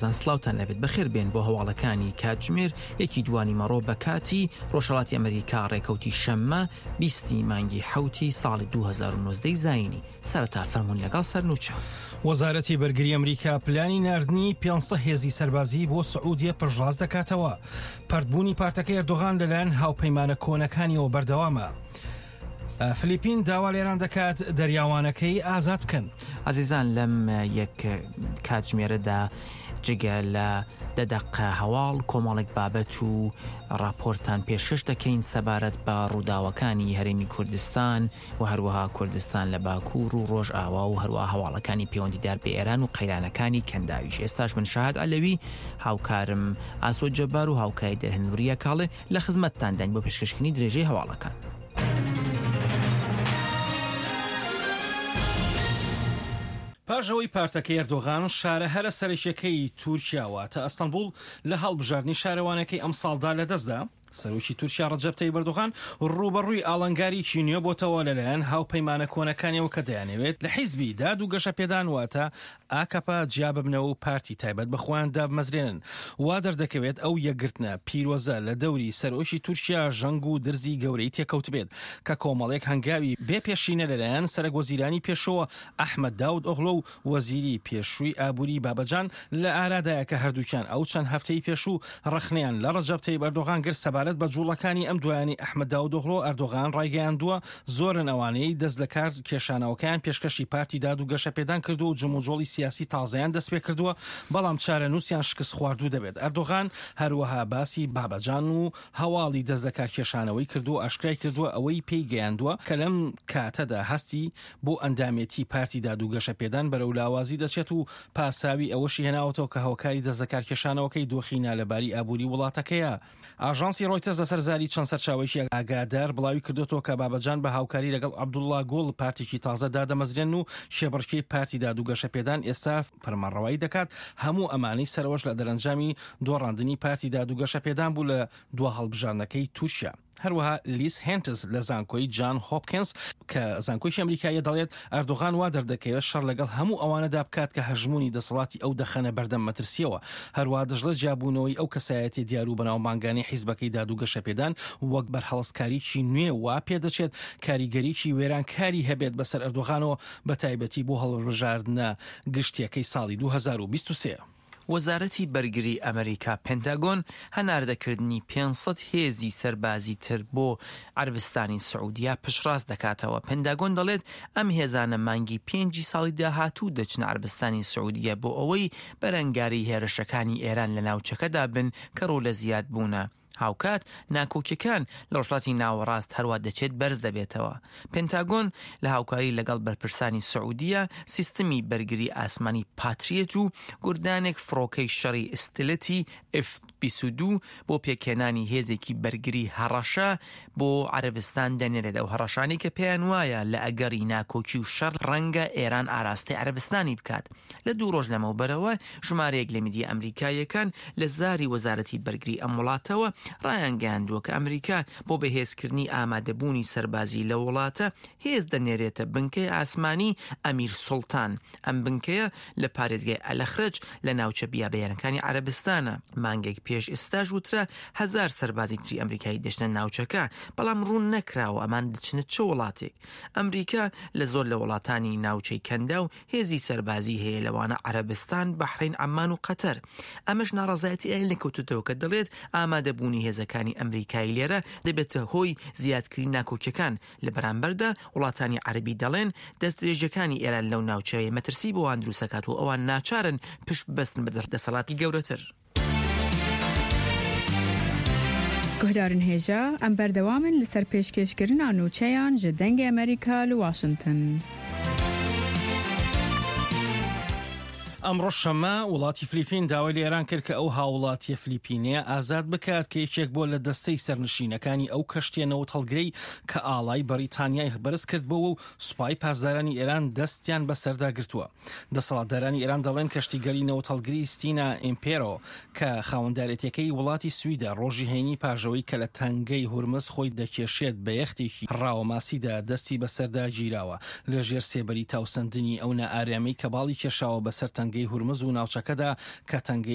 زان سڵاوتان لەبێت بەخێر بێن بۆ هەواڵەکانی کاتژمێر یەکی دوانی مەڕۆ بە کاتی ڕۆژهەڵاتی ئەمریکا ڕێکەوتی شەممە بیستی مانگی حەوتی ساڵی 2019 زایینی سەرەتا فەرموون لەگەڵ سەرنوچە. وەزارەتی بەرگری ئەمریکا پلانی ناردنی 500 هێزی سەربازی بۆ سعودیە پشتڕاست دەکاتەوە. پەرتبوونی پارتەکەی ئەردۆغان لەلایەن هاوپەیمانە کۆنەکانیەوە بەردەوامە. فلیپین داوا لە ئێران دەکات دەریاوانەکەی ئازاد بکەن. ئازیزان لەم یەک کاتژمێرەدا جگە لە دە دەقە هەواڵ کۆمەڵێک بابەت و راپۆرتان پێشکەش دەکەین سەبارەت بە ڕووداوەکانی هەرێمی کوردستان و هەروەها کوردستان لە باکوور و ڕۆژئاوا و هەروەها هەواڵەکانی پەیوەندیدار بە ئێران و قەیرانەکانی کەنداویش ئێستاش من شاهد عەلەوی هاوکارم ئاسۆ جەبار و هاوکاری دەرهێن وریا کاڵێ لە خزمەتتانداین بۆ پێشکەشکردنی درێژەی هەواڵەکان. پاش ئەوەی پارتەکەی ئەردۆغان شارە هەرە سەرەکیەکەی تورکیا واتە ئەستەنبوڵ لە هەڵبژاردنی شارەوانەکەی ئەمساڵدا لەدەستدا، سەرۆکی تورکیا ڕەجەب تەیب ئەردۆغان ڕووبەڕووی ئاڵنگاریی نوێ بۆتەوە لەلایەن هاوپەیمانە کۆنەکانیەوە کە دەیانەوێت لە حیزبی داد و گەشەپێدان واتە ئاکەپە جیاببنەوە و پارتی تایبەت بە خۆیان دابمەزرێنن. وا دەردەکەوێت ئەو یەکگرتنە پیرۆزە لە دەوری سەرۆکی تورکیا ژەنگ و درزی گەورەی تێکەوتبێت کە کۆمەڵێک هەنگاوی بێ پێشینە لەلایەن سەرەکوەزیرانی پێشووەوە ئەحمەد داود ئۆغلۆ و وەزیری پێشووی ئابووری بابەجان لە ئارادایە کە هەردووکیان ئەو چەند هەفتەی پێشوو ڕەخنەیان لە ڕەجەب تەیب ئەردۆغان گرت سەبارەت بە جووڵەکانی ئەم دوایانەی ئەحمەد داودئۆغلۆ، ئەردۆغان ڕایگەیاندووە زۆرن ئەوانەی دەست لەکار کێشانەوەکەیان پێشکەشی پارتی داد و گەشەپێدان کردووە و جموجۆڵی سیاسی تازەیان دەستپێکردووە، بەڵام چارەنووسیان شکستخواردوو دەبێت. ئەردۆغان هەروەها باسی بابەجان و هەواڵی دەست لەکارکێشانەوەی کردووە و ئاشکرای کردووە ئەوەی پێی گەیاندووە کە لەم کاتەدا هەستی بۆ ئەندامێتی پارتی داد و گەشەپێدان بەرەو لاوازی دەچێت و پاساوی ئەوەشی هێناوەتەوە کە هۆکاری دەستلەکارکێشانەوەکەی دۆخی نالەباری ئابووری وڵاتەکەیە. ئاژانسی ڕۆیتەرز لەسەر زاری چەند سەرچاوەیەکی ئاگادار بڵاوی کردۆتەوە کە بابەجان بە هاوکاری لەگەڵ عەبدوڵڵا گوڵ پارتێکی تازە دادەمەزرێنن و کێبڕکێی پارتی داد و گەشەپێدان ئێستا فەرمانڕەوایی دەکات، هەموو ئەمانەی سەرەوەش لە دەرەنجامی دۆڕاندنی پارتی داد و گەشەپێدان بوو لە دوا هەڵبژاردنەکەی تورکیا. هەروەها لیس هێنتز لە زانکۆی جان هۆپکینز کە زانکۆیەکی ئەمریکاییە دەڵێت، ئەردۆغان وا دەردەکەوێت شەڕ لەگەڵ هەموو ئەوانەدا بکات کە هەژموونی دەسەڵاتی ئەو دەخەنە بەردەم مەترسییەوە. هەروەها دەشڵێت جیابوونەوەی ئەو کەسایەتیە دیار و بەناوبانگانەی حیزبەکەی داد و گەشەپێدان وەک بەرهەڵستکاریی نوێ وا پێدەچێت کاریگەریی وێرانکاری هەبێت بەسەر ئەردۆغانەوە بەتایبەتی بۆ هەڵبژاردنە گشتیەکەی ساڵی 2023. وەزارەتی بەرگری ئەمریکا، پنتاگۆن، هەناردەکردنی 500 هێزی سەربازی تر بۆ عەرەبستانی سعودیە پشتڕاست دەکاتەوە. پنتاگۆن دەڵێت ئەم هێزانە مانگی پێنجی ساڵی داهاتوو دەچنە عەرەبستانی سعودیە بۆ ئەوەی بەرەنگاری هێرشەکانی ئێران لە ناوچەکەدا بن کە ڕوو لە زیادبوونە. هاوکات ناکۆکیەکان لە ڕۆژهەڵاتی ناوەڕاست هەروا دەچێت بەرز دەبێتەوە. پنتاگۆن لە هاوکاری لەگەڵ بەرپرسانی سعودیە سیستمی بەرگری ئاسمانی پاتریەت و گوردانێک فڕۆکەی شەڕی ئستلتی ئف 22 بۆ پێکهێنانی هێزێکی بەرگری هەڕەشە بۆ عەرەبستان دەنێرێت، ئەو هەڕەشانەی کە پێیان وایە لە ئەگەڕی ناکۆکی و شەڕ ڕەنگە ئێران ئاراستەی عەرەبستانی بکات. لە دوو ڕۆژ لەمەوبەرەوە ژمارەیەک لە میدیا ئەمریکاییەکان لە زاری وەزارەتی بەرگری ئەم وڵاتەوە ڕایانگەیاندووە کە ئەمریکا بۆ بەهێزکردنی ئامادەبوونی سەربازی لەو وڵاتە هێز دەنێرێتە بنکەی ئاسمانی ئەمیر سوڵتان. ئەم بنکەیە لە پارێزگای ئەلەخرەج لە ناوچە بیابەیانەکانی عەرەبستانە. مانگێک پێش ئێستاش وترا هەزار سەربازی تری ئەمریکایی دەچنە ناوچەکە، بەڵام ڕوون نەکراوە ئەمان دەچنە چ وڵاتێک. ئەمریکا لە زۆر لە وڵاتانی ناوچەی کەنداو هێزی سەربازی هەیە لەوانە عەرەبستان، بەحرەین، عەممان و قەتەر. ئەمەش ناڕەزایەتی ئەوێ لێکەوتۆتەوە کە دەڵێت ئامادەبوونی هێزەکانی ئەمریکایی لێرە دەبێتە هۆی زیادکردنی ناکۆکیەکان، لە بەرامبەردا وڵاتانی عەرەبی دەڵێن دەستدرێژیەکانی ئێران لەو ناوچەیە مەترسی بۆ وان دروستدەکات و ئەوان ناچارن پشت ببەستن بە دەسەڵاتی گەورەتر. Guhdarên hêja, em berdewam in li ser pêşkêşkirina nûçeyan ji Dengê Amerîka li Washington. ئەمڕۆ شەممە وڵاتی فلیپین داوای لە ئێران کرد کە ئەو هاوڵاتیە فلیپینەیە ئازاد بکات کە یەکێک بووە لە دەستەی سەرنشینەکانی ئەو کەشتیە نەوتهەڵگرەی کە ئاڵای بەریتانیای بەرز کردبۆوە و سوپای پاسدارانی ئێران دەستیان بەسەردا گرتووە. دەسەڵاتدارانی ئێران دەڵێن کەشتیگەلی نەوتهەڵگری ستینا ئیمپێرۆ کە خاوەندارێتیەکەی وڵاتی سویدە ڕۆژی هەینی پاش ئەوەی کە لە تەنگەی هورمز خۆی دەکێشێت بە یەختێکی ڕاوەماسیدا دەستی بەسەردا گیراوە لەژێر سێبەری تاوسەندنی ئەو نائارامیەی کە باڵی کێشاوە بەسەر تەنگەی. تەنگەی هورمز و ناوچەکەدا کە تەنگەی.